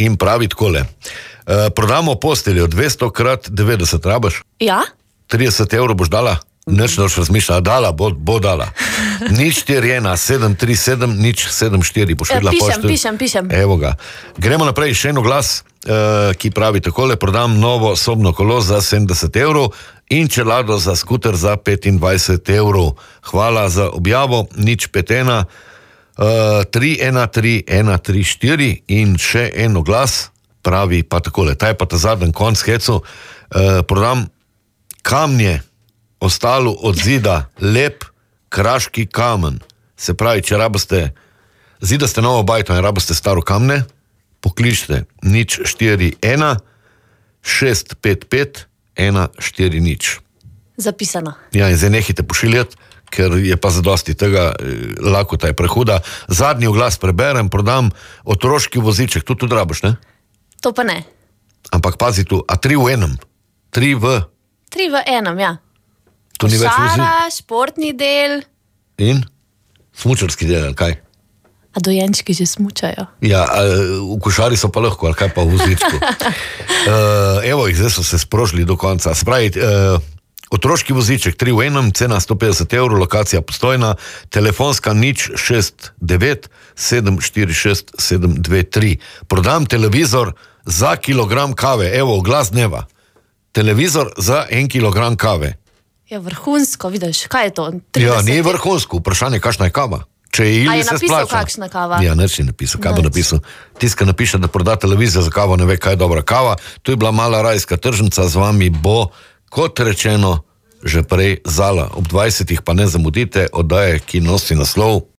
in pravi takole. Prodamo posteljo 200 krat 90, rabaš? Ja? 30 evrov boš dala? Nič noč razmišljala, dala, bo dala. Nič 41, 737, nič 74, boš videla poštelj. Pišem. Evo ga. Gremo naprej, še eno glas, ki pravi takole, prodam novo sobno kolo za 70 evrov in čelado za skuter za 25 evrov. Hvala za objavo, nič 51, 313 134 in še eno glas, pravi pa takole, ta je pa ta zadnji konc hecu, prodam kamnje, ostalo od zida, lep kraški kamen. Se pravi, če zidaste novo bajto in rabaste staro kamne, pokličite nič 41 655 140. Zapisano. Ja, in zdaj nehite pošiljati, ker je pa zadosti tega, lakota je prehuda. Zadnji oglas preberem, prodam otroški voziček, tudi rabaš, ne? To pa ne. Ampak pazi tu, a 3 v enem? 3 v enem, ja. To ni več vozil. Košara, športni del. In? Smučarski del, ali kaj? A dojenčki že smučajo? Ja, v košari so pa lahko, ali kaj pa v vozičku. Evo jih, zdaj so se sprožili do konca. Spravi, otroški voziček, 3 v enem, cena 150 evrov, lokacija Postojna, telefonska nič 69 746 723. Prodam televizor za kilogram kave, evo, glas dneva. Televizor za 1 kilogram kave. Ja, vrhunsko, vidiš, kaj je to? 30. Ja, ni vrhunsko, vprašanje, kakšna je kava. Če je ili se splača. A je napisal, kakšna kava? Ja, neč je napisal, kaj bo napisal. Tiska napiše, da proda televizijo za kavo, ne ve, kaj je dobra kava. To je bila mala rajska tržnica, z vami bo, kot rečeno, že prej Zala. Ob 20 pa ne zamudite, oddaje, ki nosi naslov